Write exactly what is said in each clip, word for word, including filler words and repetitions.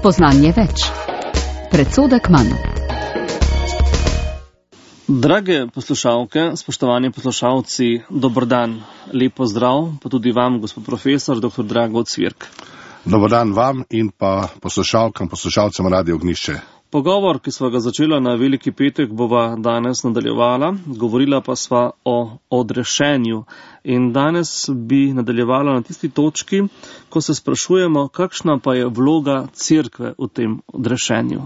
Spoznanje več. Predsodek manj. Drage poslušalke, spoštovani poslušalci, dober dan, lep pozdrav, pa tudi vam, gospod profesor, doktor Drago Cvirk. Dober dan vam in pa poslušalkam, poslušalcem Radio Ognjišče. Pogovor, ki sva ga začela na Veliki petek, bova danes nadaljevala, govorila pa sva o odrešenju. In danes bi nadaljevala na tisti točki, ko se sprašujemo, kakšna pa je vloga cerkve v tem odrešenju.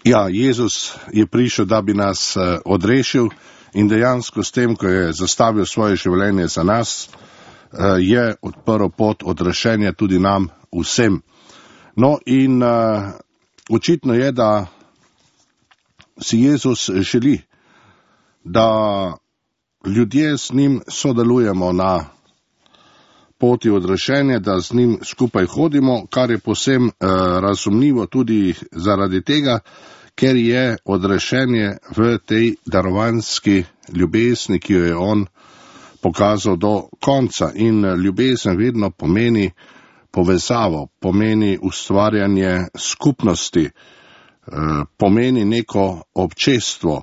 Ja, Jezus je prišel, da bi nas odrešil in dejansko s tem, ko je zastavil svoje življenje za nas, je odprl pot odrešenja tudi nam vsem. No in očitno je, da si Jezus želi, da ljudje z njim sodelujemo na poti odrešenja, da z njim skupaj hodimo, kar je povsem eh, razumljivo tudi zaradi tega, ker je odrešenje v tej darovanski ljubezni, ki jo je on pokazal do konca. In ljubezen vedno pomeni povezavo, pomeni ustvarjanje skupnosti, pomeni neko občestvo.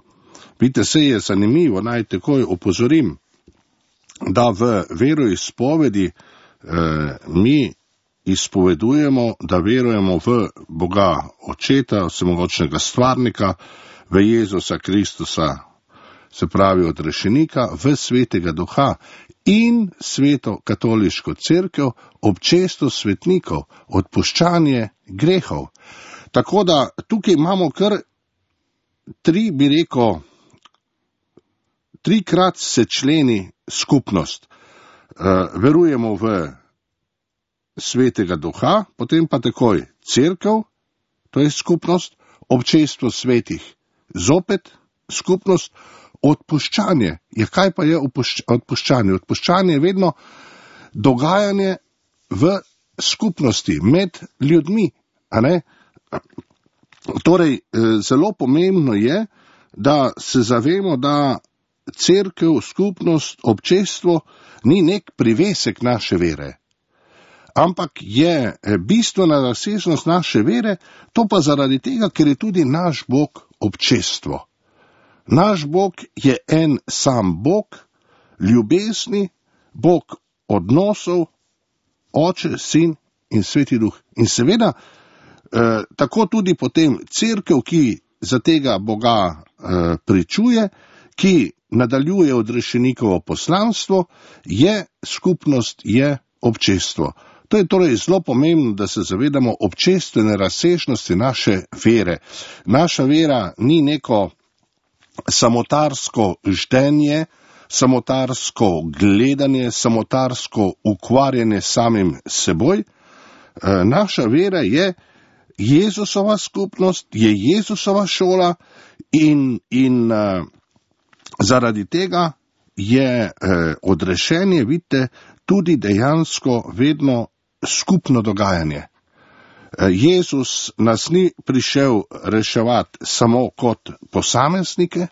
Vidite, se je zanimivo, naj takoj opozorim, da v veroizpovedi mi izpovedujemo, da verujemo v Boga Očeta, vsemogočnega stvarnika, v Jezusa Kristusa, se pravi odrešenika, v Svetega Duha in Sveto katoliško cerkev, občestvo svetnikov, odpuščanje grehov. Tako da tukaj imamo kar tri, bi rekel, trikrat se členi skupnost. Uh, verujemo v Svetega Duha, potem pa takoj cerkev, to je skupnost, občestvo svetih, zopet skupnost, odpuščanje. Ja, kaj pa je odpuščanje? Odpuščanje je vedno dogajanje v skupnosti, med ljudmi, a ne? Torej, zelo pomembno je, da se zavemo, da cerkev, skupnost, občestvo ni nek privesek naše vere, ampak je bistvena razsežnost naše vere, to pa zaradi tega, ker je tudi naš Bog občestvo. Naš Bog je en sam Bog, ljubezni, Bog odnosov, Oče, Sin in Sveti Duh. In seveda, eh, tako tudi potem cerkev, ki za tega Boga eh, pričuje, ki nadaljuje odrešenikovo poslanstvo, je skupnost, je občestvo. To je torej zelo pomembno, da se zavedamo občestvene razsežnosti naše vere. Naša vera ni neko samotarsko ždenje, samotarsko gledanje, samotarsko ukvarjanje samim seboj. Naša vera je Jezusova skupnost, je Jezusova šola in, in zaradi tega je odrešenje, vidite, tudi dejansko vedno skupno dogajanje. Jezus nas ni prišel reševati samo kot posameznike,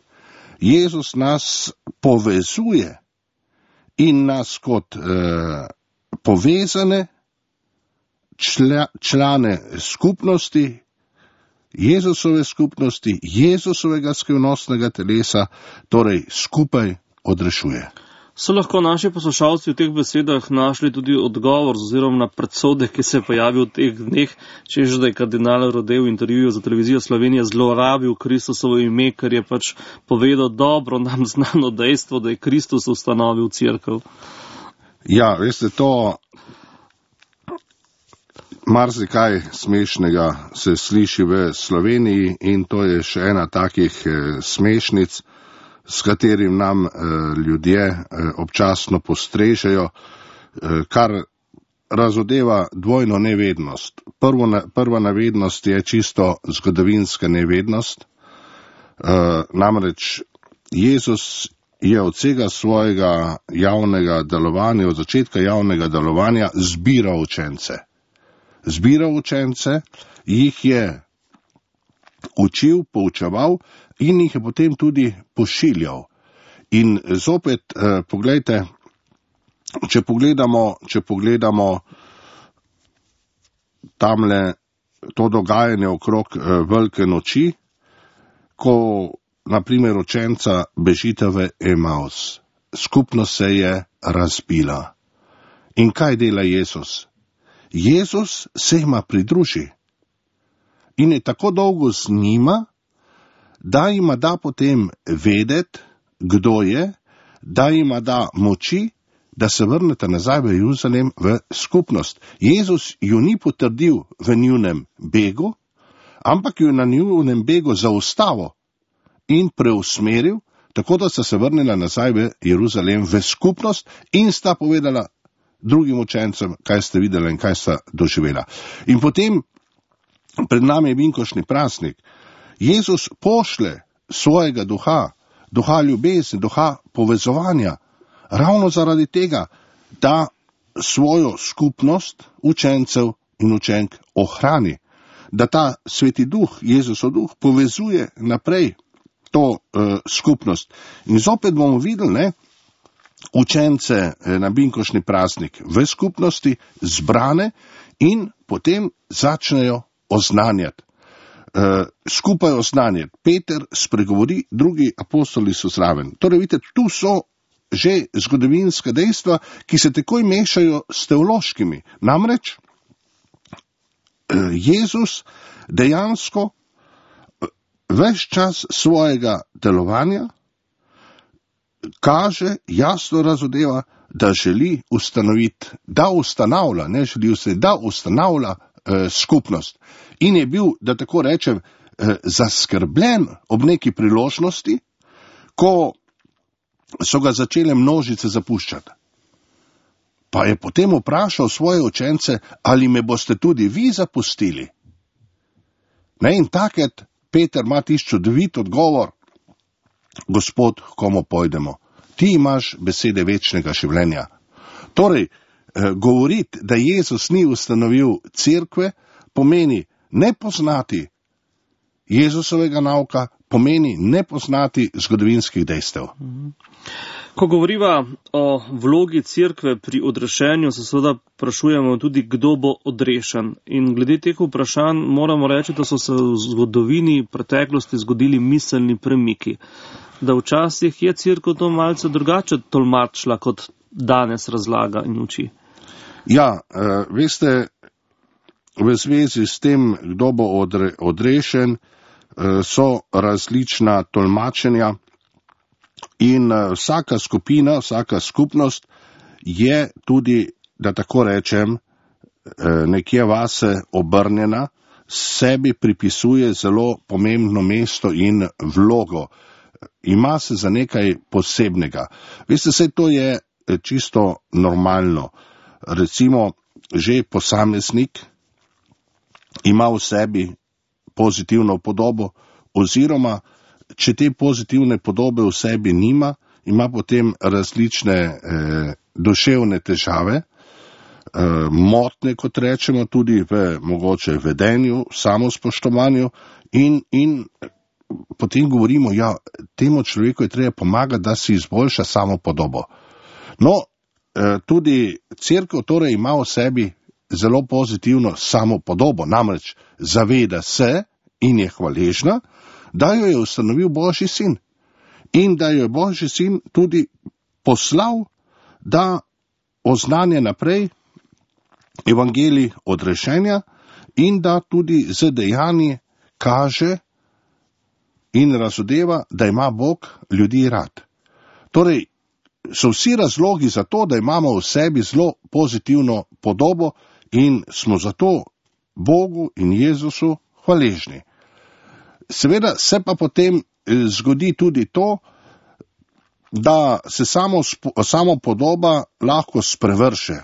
Jezus nas povezuje in nas kot eh, povezane čla, člane skupnosti, Jezusove skupnosti, Jezusovega skrivnostnega telesa, torej skupaj odrešuje. So lahko naši poslušalci v teh besedah našli tudi odgovor oziroma na predsodek, ki se je pojavil v teh dneh, češ da je kardinal Rode v intervjuju za televizijo Slovenije zlorabil Kristusovo ime, ker je pač povedal dobro nam znano dejstvo, da je Kristus ustanovil cerkev. Ja, veste, to marsikaj smešnega se sliši v Sloveniji in to je še ena takih eh, smešnic, s katerim nam eh, ljudje eh, občasno postrežejo, eh, kar razodeva dvojno nevednost. Prvo na, prva nevednost je čisto zgodovinska nevednost, eh, namreč Jezus je od vsega svojega javnega delovanja, od začetka javnega delovanja zbiral učence. Zbiral učence, jih je učil, poučeval in jih je potem tudi pošiljal. In zopet, eh, poglejte, če pogledamo, če pogledamo tamle to dogajanje okrog velike noči, ko naprimer učenca bežita v Emaus. Skupnost se je razbila. In kaj dela Jezus? Jezus se jima pridruži. In je tako dolgo z njima, da jima da potem vedeti, kdo je, da jima da moči, da se vrnete nazaj v Jeruzalem v skupnost. Jezus ju ni potrdil v njunem begu, ampak ju na njunem begu zaustavil in preusmeril, tako da sta se vrnila nazaj v Jeruzalem v skupnost in sta povedala drugim učencem, kaj ste videli in kaj sta doživela. In potem pred nami je vinkošni praznik. Jezus pošle svojega duha, duha ljubezni, duha povezovanja, ravno zaradi tega, da svojo skupnost učencev in učenk ohrani, da ta sveti duh, Jezusov duh, povezuje naprej to uh, skupnost. In zopet bomo videli, ne, učence eh, na vinkošni praznik v skupnosti zbrane in potem začnejo oznanjati. Uh, skupaj oznanjati. Peter spregovori, drugi apostoli so zraven. Torej, vidite, tu so že zgodovinska dejstva, ki se takoj mešajo s teološkimi. Namreč, uh, Jezus dejansko uh, ves čas svojega delovanja kaže, jasno razodeva, da želi ustanoviti, da ustanavlja, ne želi ustanoviti, da ustanavlja eh, skupnost. In je bil, da tako rečem, eh, zaskrbljen ob neki priložnosti, ko so ga začele množice zapuščati. Pa je potem vprašal svoje učence, ali me boste tudi vi zapustili. Ne, in takrat Peter ima tisti čudovit odgovor, Gospod, komu pojdemo? Ti imaš besede večnega življenja. Torej, govoriti, da Jezus ni ustanovil cerkve, pomeni ne poznati Jezusovega nauka, pomeni ne poznati zgodovinskih dejstev. Ko govoriva o vlogi cerkve pri odrešenju, se seveda vprašujemo tudi, kdo bo odrešen. In glede teh vprašanj moramo reči, da so se v zgodovini preteklosti zgodili miselni premiki. Da včasih je cerkev to malce drugače tolmačila, kot danes razlaga in uči. Ja, uh, veste, v zvezi s tem, kdo bo odre, odrešen, uh, so različna tolmačenja in uh, vsaka skupina, vsaka skupnost je tudi, da tako rečem, uh, nekje vase obrnjena, sebi pripisuje zelo pomembno mesto in vlogo. Ima se za nekaj posebnega. Veste, vse to je čisto normalno. Recimo, že posameznik ima v sebi pozitivno podobo, oziroma, če te pozitivne podobe v sebi nima, ima potem različne eh, duševne težave, eh, motnje, kot rečemo, tudi v mogoče vedenju, samospoštovanju in, in potem govorimo, ja, temu človeku je treba pomagati, da si izboljša samo podobo. No, tudi cerkev torej ima v sebi zelo pozitivno samo podobo, namreč zaveda se in je hvaležna, da jo je ustanovil Božji sin in da jo je Božji sin tudi poslal, da oznanja naprej evangelij odrešenja in da tudi z dejanji kaže in razodeva, da ima Bog ljudi rad. Torej, so vsi razlogi za to, da imamo v sebi zelo pozitivno podobo in smo zato Bogu in Jezusu hvaležni. Seveda se pa potem zgodi tudi to, da se samo, samo podoba lahko sprevrše.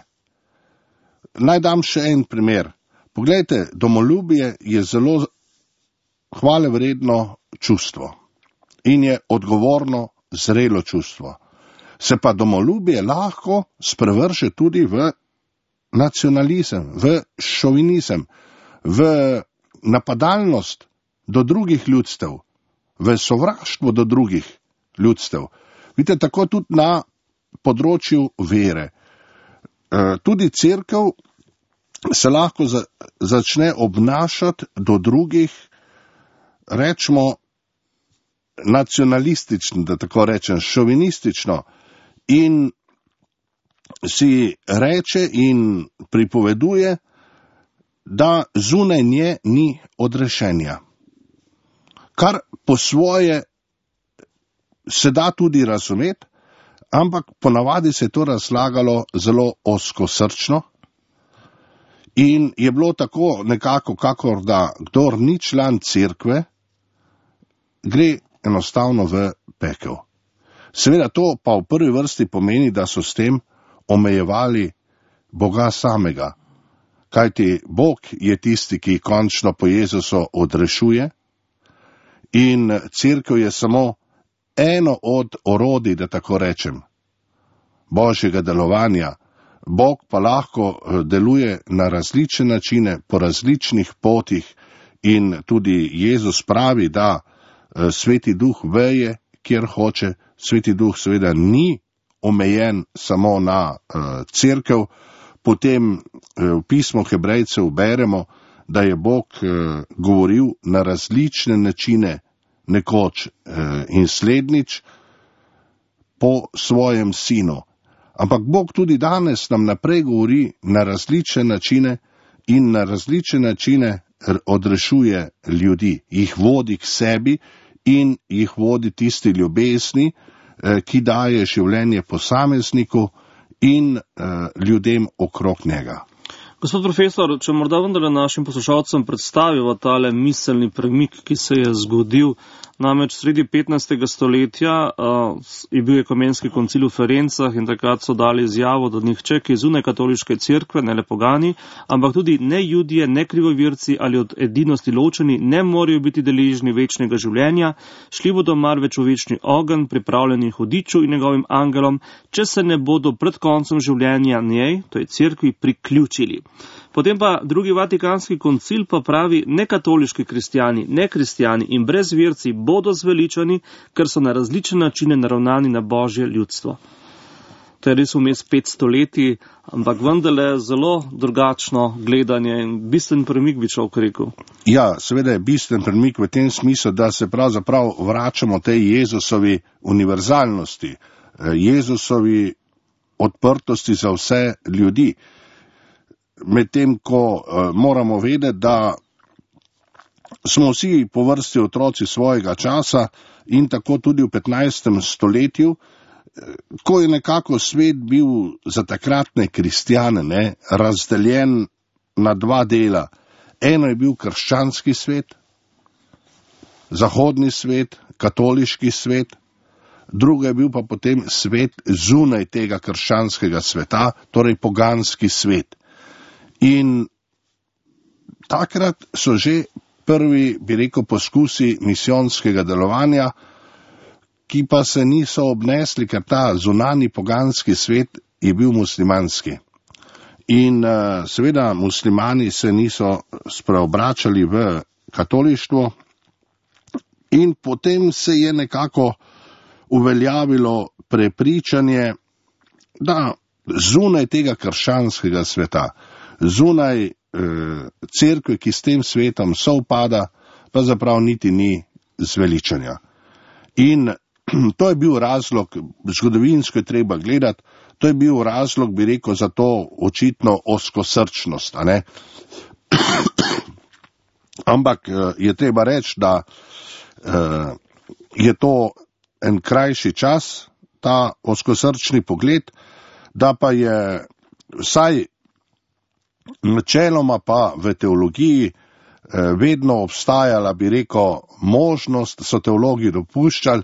Naj dam še en primer. Poglejte, domoljubje je zelo hvalevredno čustvo in je odgovorno, zrelo čustvo. Se pa domoljubje lahko sprevrše tudi v nacionalizem, v šovinizem, v napadalnost do drugih ljudstev, v sovraštvo do drugih ljudstev. Vidite, tako tudi na področju vere. Tudi cerkev se lahko za, začne obnašati do drugih, rečemo, nacionalistično, da tako rečem, šovinistično, in si reče in pripoveduje, da zunaj nje ni odrešenja. Kar po svoje se da tudi razumeti, ampak ponavadi se je to razlagalo zelo ozkosrčno in je bilo tako nekako, kakor da kdor ni član cerkve, gre enostavno v pekel. Seveda to pa v prvi vrsti pomeni, da so s tem omejevali Boga samega, kajti Bog je tisti, ki končno po Jezusu odrešuje in cerkev je samo eno od orodij, da tako rečem, Božjega delovanja. Bog pa lahko deluje na različne načine, po različnih potih in tudi Jezus pravi, da Sveti Duh veje, kjer hoče. Sveti Duh seveda ni omejen samo na uh, cerkev. Potem uh, v pismu Hebrejcev beremo, da je Bog uh, govoril na različne načine nekoč uh, in slednjič po svojem sinu. Ampak Bog tudi danes nam naprej govori na različne načine in na različne načine odrešuje ljudi, jih vodi k sebi in jih vodi tisti ljubezni, ki daje življenje posamezniku in uh, ljudem okrog njega. Gospod profesor, če morda vendarle našim poslušalcem predstavimo tale miselni premik, ki se je zgodil, namreč sredi petnajstega stoletja uh, je bil ekumenski koncil v Ferencah in takrat so dali izjavo, da nihče, ki je zunaj katoliške cerkve, ne le pogani, ampak tudi ne Judije, ne krivovirci ali od edinosti ločeni, ne morejo biti deležni večnega življenja, šli bodo marveč v večni ogenj, pripravljeni hudiču in njegovim angelom, če se ne bodo pred koncem življenja njej, to je cerkvi, priključili. Potem pa drugi vatikanski koncil pa pravi, nekatoliški kristijani, nekristijani in brezverci bodo zveličani, ker so na različne načine naravnani na Božje ljudstvo. To je res vmes pet stoletij, ampak vendarle zelo drugačno gledanje in bistven premik, bi človek rekel. Ja, seveda je bistven premik v tem smislu, da se pravzaprav vračamo tej Jezusovi univerzalnosti, Jezusovi odprtosti za vse ljudi. Medtem ko uh, moramo vedeti, da smo vsi po vrsti otroci svojega časa in tako tudi v petnajstem stoletju, ko je nekako svet bil za takratne kristjane ne, razdeljen na dva dela. Eno je bil krščanski svet, zahodni svet, katoliški svet, drugo je bil pa potem svet zunaj tega krščanskega sveta, torej poganski svet. In takrat so že prvi, bi rekel, poskusi misijonskega delovanja, ki pa se niso obnesli, ker ta zunani poganski svet je bil muslimanski. In uh, seveda muslimani se niso spreobračali v katolištvo in potem se je nekako uveljavilo prepričanje, da zunaj tega krščanskega sveta, zunaj eh, cerkve, ki s tem svetom sovpada, pa zaprav niti ni zveličanja. In to je bil razlog, zgodovinsko je treba gledati, to je bil razlog, bi rekel, za to očitno ozkosrčnost. A ne? Ampak eh, je treba reči, da eh, je to en krajši čas, ta ozkosrčni pogled, da pa je vsaj načeloma pa v teologiji vedno obstajala, bi rekel, možnost, so teologi dopuščali,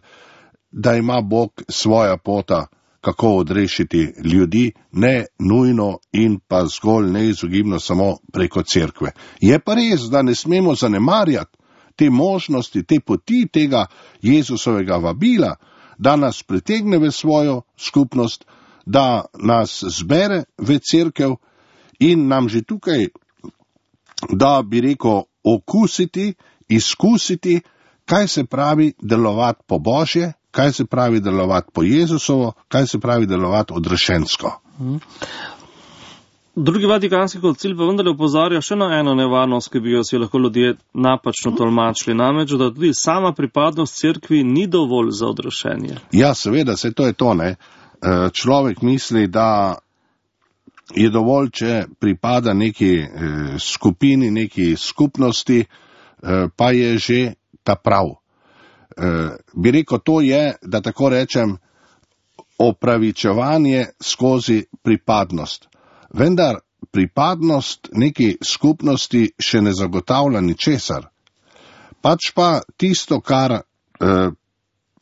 da ima Bog svoja pota, kako odrešiti ljudi, ne nujno in pa zgolj neizogibno samo preko cerkve. Je pa res, da ne smemo zanemarjati te možnosti, te poti tega Jezusovega vabila, da nas pritegne v svojo skupnost, da nas zbere v cerkev in nam že tukaj, da bi rekel, okusiti, izkusiti, kaj se pravi delovati po Božje, kaj se pravi delovati po Jezusovo, kaj se pravi delovati odrešensko. Drugi vatikanski koncil pa vendarle opozarja še na eno nevarnost, ki bi jo si lahko ljudje napačno tolmačili, namreč, da tudi sama pripadnost cerkvi ni dovolj za odrešenje. Ja, seveda, se to je to, ne. Človek misli, da je dovolj, če pripada neki skupini, neki skupnosti, pa je že ta prav. Bi rekel, to je, da tako rečem, opravičevanje skozi pripadnost. Vendar pripadnost neki skupnosti še ne zagotavlja ničesar. Pač pa tisto, kar eh,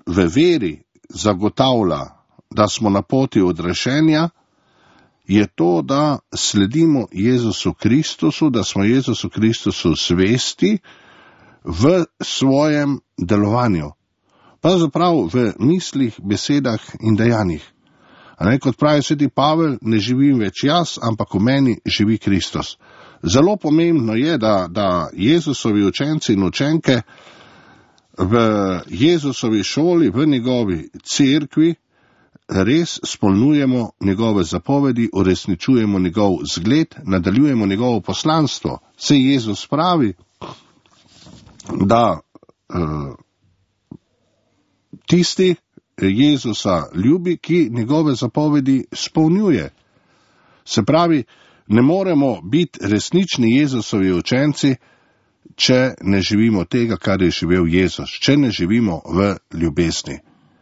v veri zagotavlja, da smo na poti odrešenja, je to, da sledimo Jezusu Kristusu, da smo Jezusu Kristusu svesti v svojem delovanju. Pravzaprav v mislih, besedah in dejanjih. A ne, kot pravi sveti Pavel, ne živim več jaz, ampak v meni živi Kristus. Zelo pomembno je, da, da Jezusovi učenci in učenke v Jezusovi šoli, v njegovi cerkvi, res spolnjujemo njegove zapovedi, uresničujemo njegov zgled, nadaljujemo njegovo poslanstvo. Saj Jezus pravi, da uh, tisti Jezusa ljubi, ki njegove zapovedi spolnjuje. Se pravi, ne moremo biti resnični Jezusovi učenci, če ne živimo tega, kar je živel Jezus, če ne živimo v ljubezni.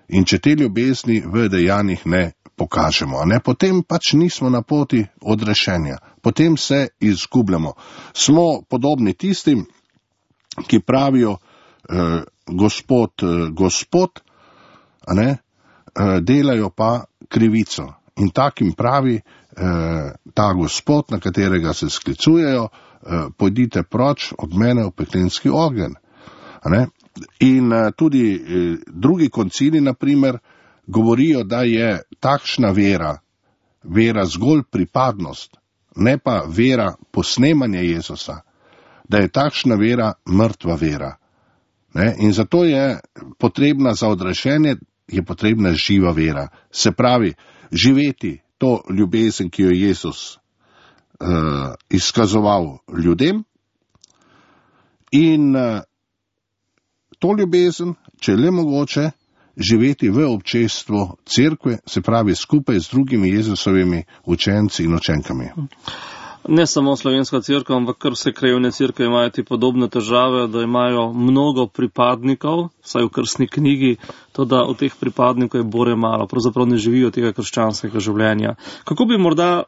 In če te ljubezni v dejanjih ne pokažemo, ne, potem pač nismo na poti odrešenja, potem se izgubljamo. Smo podobni tistim, ki pravijo eh, gospod, eh, gospod, a ne, eh, delajo pa krivico. In takim pravi eh, ta gospod, na katerega se sklicujejo, eh, pojdite proč od mene v peklenski ogenj. A ne. In eh, tudi eh, drugi koncili, na primer, govorijo, da je takšna vera, vera zgolj pripadnost, ne pa vera posnemanja Jezusa, da je takšna vera mrtva vera. Ne? In zato je potrebna za odrešenje, je potrebna živa vera. Se pravi, živeti to ljubezen, ki jo je Jezus uh, izkazoval ljudem, in uh, to ljubezen, če le mogoče, živeti v občestvu cerkve, se pravi skupaj z drugimi Jezusovimi učenci in učenkami. Ne samo slovenska cerkev, ampak kar vse krajevne cerkve imajo ti podobne težave, da imajo mnogo pripadnikov, vsaj v krstni knjigi, to da od teh pripadnikov je bore malo, pravzaprav ne živijo tega krščanskega življenja. Kako bi morda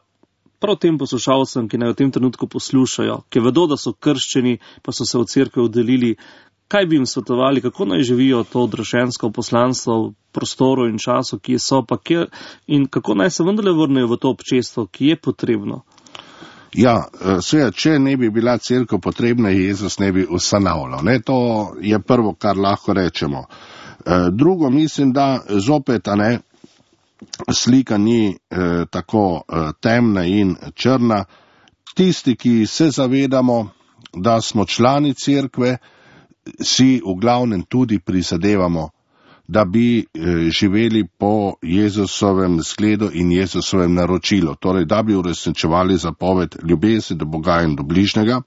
prav tem poslušalcem, ki naj v tem trenutku poslušajo, ki vedo, da so krščeni, pa so se v cerkve oddelili, kaj bi jim svetovali, kako naj živijo to odrešensko poslanstvo v prostoru in času, ki so, pa kjer, in kako naj se vendarle vrnejo v to občestvo, ki je potrebno? Ja, seveda, če ne bi bila cerkev potrebna, Jezus ne bi ustanavljal. Ne, to je prvo, kar lahko rečemo. Drugo, mislim, da zopet, a ne, slika ni eh, tako eh, temna in črna. Tisti, ki se zavedamo, da smo člani cerkve, si v glavnem tudi prizadevamo, da bi eh, živeli po Jezusovem zgledu in Jezusovem naročilu, torej da bi uresničevali zapoved ljubezni do Boga in do bližnjega.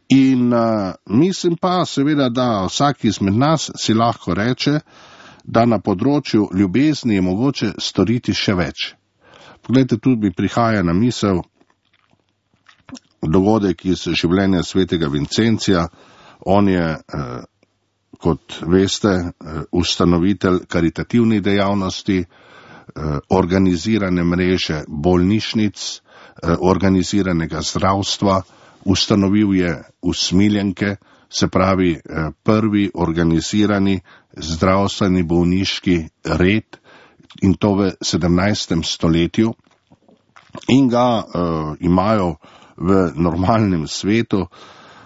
In uh, mislim pa seveda, da vsak izmed nas si lahko reče, da na področju ljubezni je mogoče storiti še več. Poglejte, tudi mi prihaja na misel dogodek iz življenja svetega Vincencija. On je, eh, kot veste, eh, ustanovitelj karitativnih dejavnosti, eh, organizirane mreže bolnišnic, eh, organiziranega zdravstva, ustanovil je usmiljenke, se pravi eh, prvi organizirani zdravstveni bolniški red, in to v sedemnajstem stoletju, in ga eh, imajo v normalnem svetu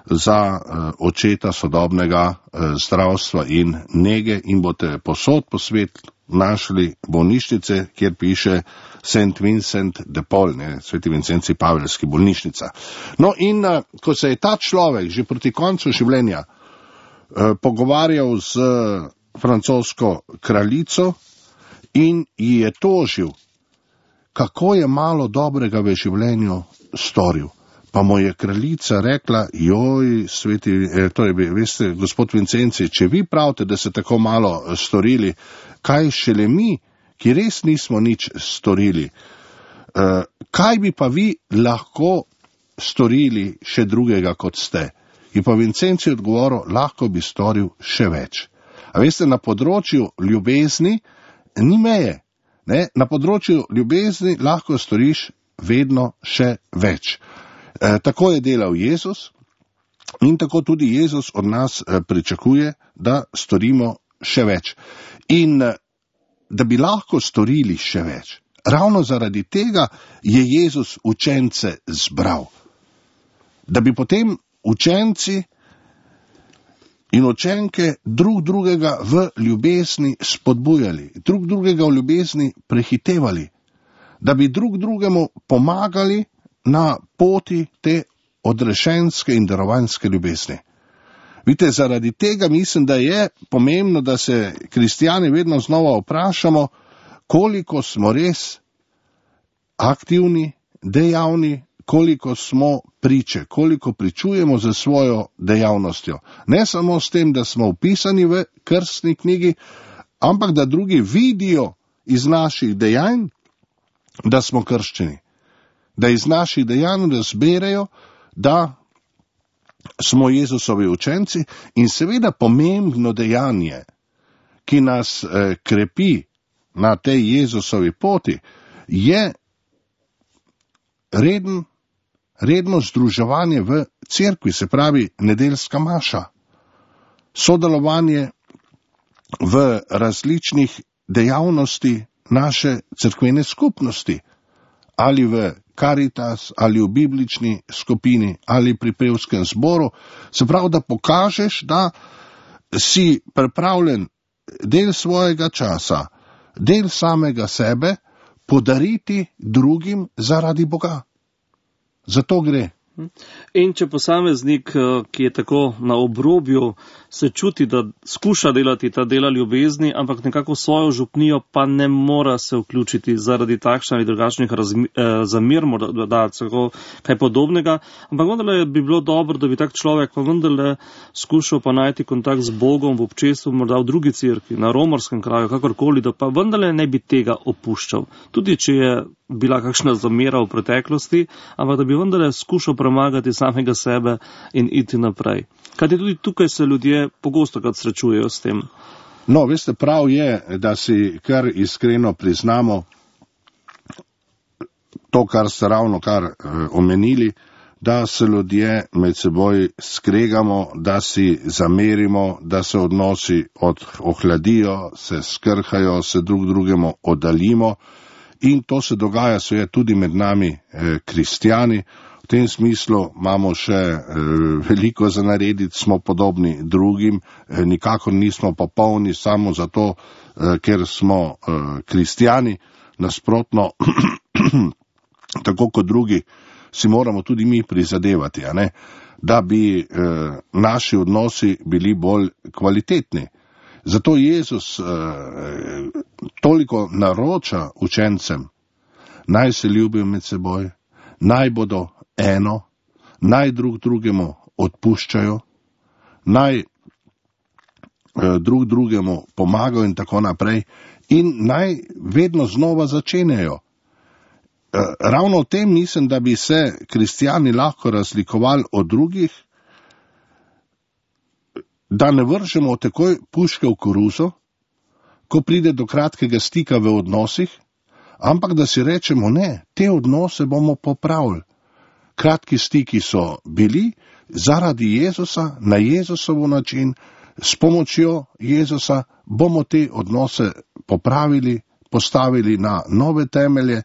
za uh, očeta sodobnega uh, zdravstva in nege, in boste posod po svet našli bolnišnice, kjer piše Saint Vincent de Paul, ne, sveti Vincenci Pavelski bolnišnica. No in uh, ko se je ta človek že proti koncu življenja uh, pogovarjal z uh, francosko kraljico in ji je tožil, kako je malo dobrega v življenju storil. Pa mu je kraljica rekla, joj, sveti, eh, torej, veste, gospod Vincenci, če vi pravite, da ste tako malo storili, kaj šele mi, ki res nismo nič storili, eh, kaj bi pa vi lahko storili še drugega, kot ste? In pa Vincenci odgovoril, lahko bi storil še več. A veste, na področju ljubezni ni meje. Ne? Na področju ljubezni lahko storiš vedno še več. E, tako je delal Jezus in tako tudi Jezus od nas e, pričakuje, da storimo še več. In e, da bi lahko storili še več, ravno zaradi tega je Jezus učence zbral. Da bi potem učenci in učenke drug drugega v ljubezni spodbujali, drug drugega v ljubezni prehitevali, da bi drug drugemu pomagali na poti te odrešenske in darovanske ljubezni. Vidite, zaradi tega mislim, da je pomembno, da se kristijani vedno znova vprašamo, koliko smo res aktivni, dejavni, koliko smo priče, koliko pričujemo za svojo dejavnostjo. Ne samo s tem, da smo vpisani v krstni knjigi, ampak da drugi vidijo iz naših dejanj, da smo krščeni. Da iz naših dejanj razberejo, da smo Jezusovi učenci in seveda pomembno dejanje, ki nas eh, krepi na tej Jezusovi poti, je reden, redno združevanje v cerkvi, se pravi nedeljska maša, sodelovanje v različnih dejavnosti naše cerkvene skupnosti, ali v Karitas, ali v biblični skupini, ali pri pevskem zboru, se pravi, da pokažeš, da si pripravljen del svojega časa, del samega sebe podariti drugim zaradi Boga. Zato gre. In če posameznik, ki je tako na obrobju, se čuti, da skuša delati ta dela ljubezni, ampak nekako svojo župnijo pa ne mora se vključiti zaradi takšnih ali drugačnih zamir, morda da celo kaj podobnega, ampak vendarle bi bilo dobro, da bi tak človek pa vendarle skušal pa najti kontakt z Bogom v občestvu, morda v drugi cerkvi, na romarskem kraju, kakorkoli, da pa vendarle ne bi tega opuščal. Tudi če je bila kakšna zamera v preteklosti, ampak da bi vendarle skušal premagati samega sebe in iti naprej. Kajti tudi tukaj se ljudje pogosto krat srečujejo s tem. No, veste, prav je, da si kar iskreno priznamo to, kar ste ravno kar eh, omenili, da se ljudje med seboj skregamo, da si zamerimo, da se odnosi od, ohladijo, se skrhajo, se drug drugemu oddaljimo. In to se dogaja seveda tudi med nami eh, kristijani. V tem smislu imamo še eh, veliko za narediti, smo podobni drugim, eh, nikakor nismo popolni samo zato, eh, ker smo eh, kristijani. Nasprotno, tako kot drugi, si moramo tudi mi prizadevati, a ne? Da bi eh, naši odnosi bili bolj kvalitetni. Zato Jezus eh, toliko naroča učencem, naj se ljubijo med seboj, naj bodo eno, naj drug drugemu odpuščajo, naj eh, drug drugemu pomagajo in tako naprej in naj vedno znova začenjajo. Eh, ravno v tem mislim, da bi se kristijani lahko razlikovali od drugih, da ne vržemo takoj puške v koruzo, ko pride do kratkega stika v odnosih, ampak da si rečemo, ne, te odnose bomo popravili. Kratki stiki so bili zaradi Jezusa, na Jezusovo način, s pomočjo Jezusa bomo te odnose popravili, postavili na nove temelje,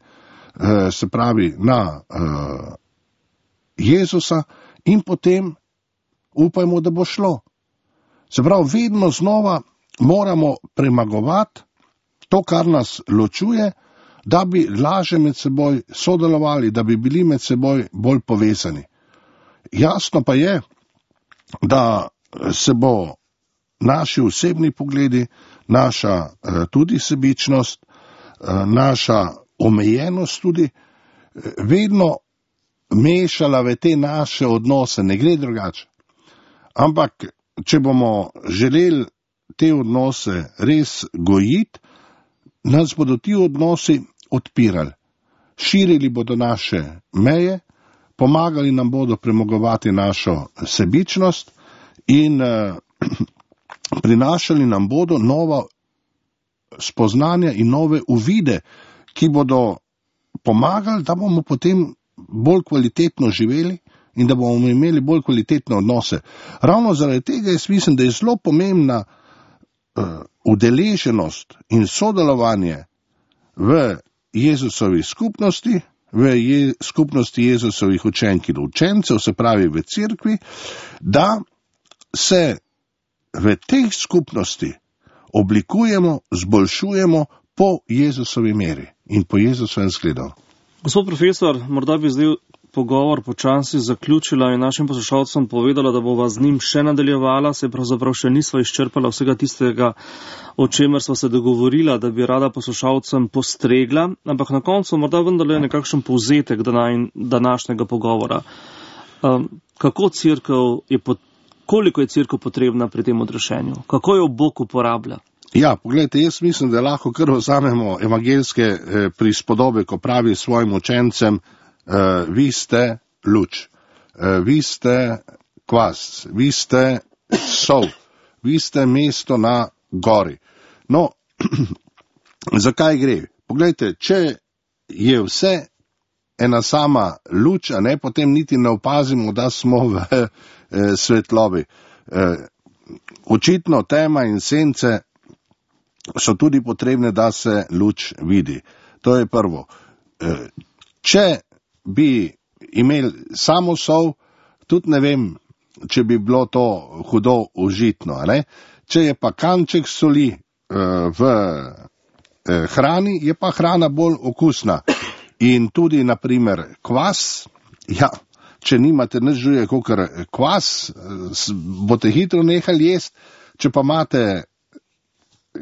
se pravi na Jezusa in potem upajmo, da bo šlo. Se pravi, vedno znova moramo premagovati to, kar nas ločuje, da bi laže med seboj sodelovali, da bi bili med seboj bolj povezani. Jasno pa je, da se bo naši osebni pogledi, naša tudi sebičnost, naša omejenost tudi vedno mešala v te naše odnose, ne gre drugače. Ampak, če bomo želeli te odnose res gojiti, nas bodo ti odnosi odpirali. Širili bodo naše meje, pomagali nam bodo premagovati našo sebičnost in eh, prinašali nam bodo nova spoznanja in nove uvide, ki bodo pomagali, da bomo potem bolj kvalitetno živeli in da bomo imeli bolj kvalitetne odnose. Ravno zaradi tega jaz mislim, da je zelo pomembna uh, udeleženost in sodelovanje v Jezusovi skupnosti, v je, skupnosti Jezusovih učenk in učencev, se pravi v cerkvi, da se v teh skupnosti oblikujemo, zboljšujemo po Jezusovi meri in po Jezusovem zgledu. Gospod profesor, morda bi zdaj pogovor počasi zaključila in našim poslušalcem povedala, da bova z njim še nadaljevala, se pravzaprav še nisva izčrpala vsega tistega, o čemer sva se dogovorila, da bi rada poslušalcem postregla, ampak na koncu morda vendarle nekakšen povzetek današnjega pogovora. Um, kako cerkev je, koliko je cerkev potrebna pri tem odrešenju? Kako jo Bog uporablja? Ja, pogledajte, jaz mislim, da lahko kar vzamemo evangelske eh, prispodobe, ko pravi svojim učencem, eh, vi ste luč, eh, vi ste kvas, vi ste sol, vi ste mesto na gori. No, zakaj gre? Pogledajte, če je vse ena sama luč, a ne, potem niti ne opazimo, da smo v eh, svetlobi. Eh, očitno tema in sence so tudi potrebne, da se luč vidi. To je prvo. Če bi imeli samo sol, tudi ne vem, če bi bilo to hudo užitno. Ne? Če je pa kanček soli v hrani, je pa hrana bolj okusna. In tudi, na primer, kvas, ja, če nimate nič drugega kakor kvas, boste hitro nehali jesti, če pa imate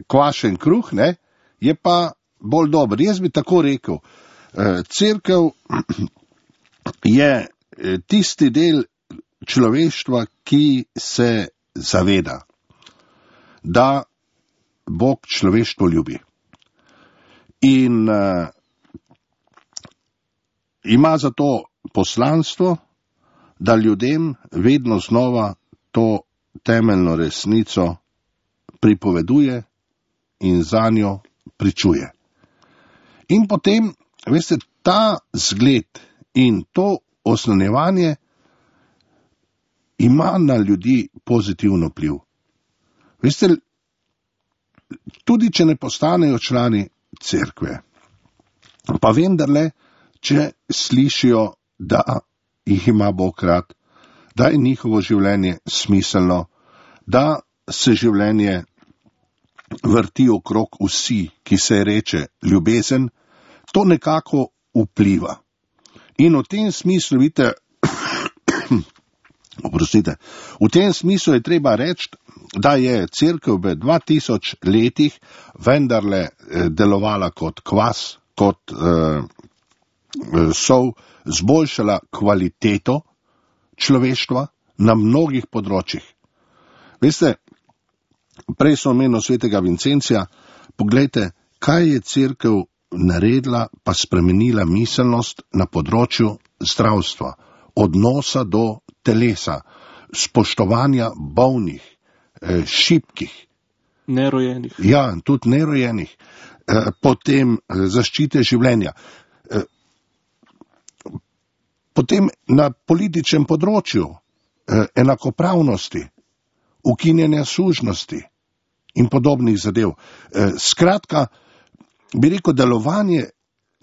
kvašen kruh, ne, je pa bolj dober. Jaz bi tako rekel, cerkev je tisti del človeštva, ki se zaveda, da Bog človeštvo ljubi. In uh, ima zato poslanstvo, da ljudem vedno znova to temeljno resnico pripoveduje in za njo pričuje. In potem, veste, ta zgled in to osnanjevanje ima na ljudi pozitivno vpliv. Veste, tudi če ne postanejo člani cerkve, pa vendarle, če slišijo, da jih ima Bog rad, da je njihovo življenje smiselno, da se življenje vrti okrog vsi, ki se reče ljubezen, to nekako vpliva. In v tem smislu, vidite, oprostite, v tem smislu je treba reči, da je cerkev v dva tisoč letih vendarle delovala kot kvas, kot eh, sol, zboljšala kvaliteto človeštva na mnogih področjih. Veste, prej sem omenil svetega Vincencija, poglejte, kaj je cerkev naredila pa spremenila miselnost na področju zdravstva, odnosa do telesa, spoštovanja bolnih, šibkih. Nerojenih. Ja, tudi nerojenih. Potem zaščite življenja. Potem na političnem področju enakopravnosti, ukinjanja sužnosti in podobnih zadev. Skratka, bi rekel, delovanje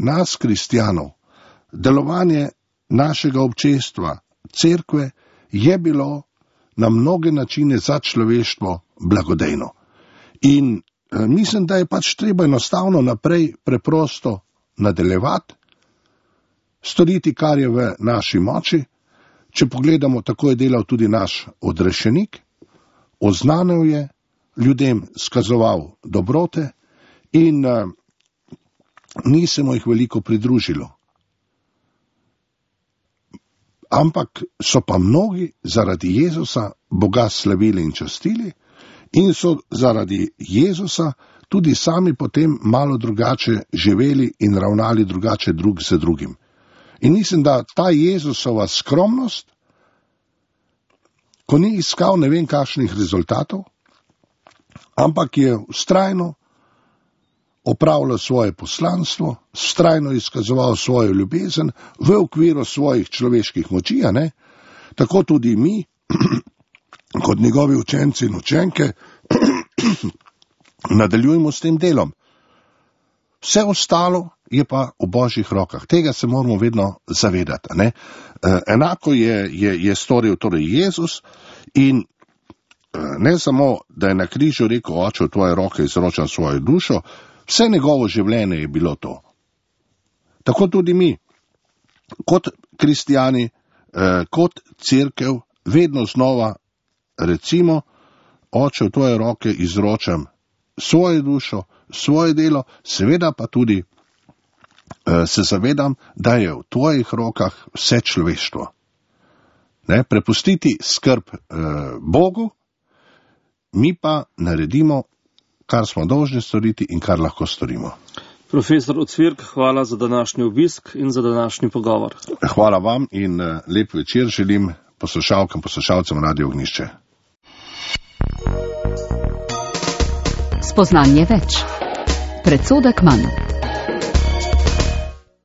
nas, kristjanov, delovanje našega občestva, cerkve, je bilo na mnoge načine za človeštvo blagodejno. In eh, mislim, da je pač treba enostavno naprej preprosto nadaljevati, storiti, kar je v naši moči. Če pogledamo, tako je delal tudi naš odrešenik, oznanil je, ljudem skazoval dobrote in eh, ni se mu jih veliko pridružilo. ampak so pa mnogi zaradi Jezusa Boga slavili in častili in so zaradi Jezusa tudi sami potem malo drugače živeli in ravnali drugače drug z drugim. In mislim, da ta Jezusova skromnost, ko ni iskal ne vem kakšnih rezultatov, ampak je vztrajno opravljal svoje poslanstvo, vztrajno izkazoval svojo ljubezen v okviru svojih človeških moči, a ne? Tako tudi mi, kot njegovi učenci in učenke, nadaljujemo s tem delom. Vse ostalo je pa v Božjih rokah. Tega se moramo vedno zavedati. Ne? Enako je, je, je storil torej Jezus in ne samo, da je na križu rekel, Oče, v tvoje roke izročam svojo dušo, vse njegovo življenje je bilo to. Tako tudi mi, kot kristijani, kot cerkev, vedno znova recimo, Oče, v tvoje roke izročam svojo dušo, svoje delo, seveda pa tudi se zavedam, da je v tvojih rokah vse človeštvo. Ne? Prepustiti skrb eh, Bogu, mi pa naredimo, kar smo dolžni storiti in kar lahko storimo. Profesor Ocvirk, hvala za današnji obisk in za današnji pogovor. Hvala vam in eh, lep večer želim poslušalkam, poslušalcem Radio Ognjišče. Spoznanje več. Predsodek manj.